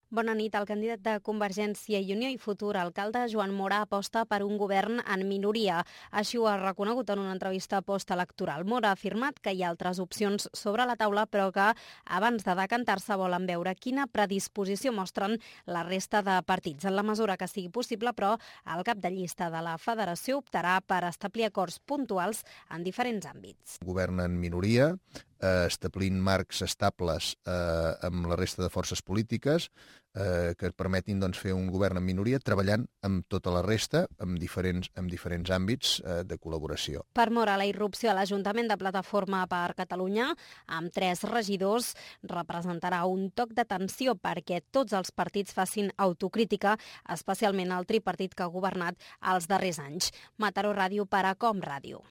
Bona nit. El candidat de Convergència i Unió i futur alcalde Joan Mora aposta per un govern en minoria. Així ho ha reconegut en una entrevista postelectoral. Mora ha afirmat que hi ha altres opcions sobre la taula, però que abans de decantar-se volen veure quina predisposició mostren la resta de partits. En la mesura que sigui possible, però, el cap de llista de la federació optarà per establir acords puntuals en diferents àmbits. Govern en minoria, establint marcs estables amb la resta de forces polítiques que et permetin fer un govern en minoria treballant amb tota la resta en diferents àmbits de col·laboració. Per Mora, la irrupció a l'Ajuntament de Plataforma per Catalunya, amb 3 regidors, representarà un toc d'atenció perquè tots els partits facin autocrítica, especialment el tripartit que ha governat els darrers anys. Mataró Ràdio per a Com Ràdio.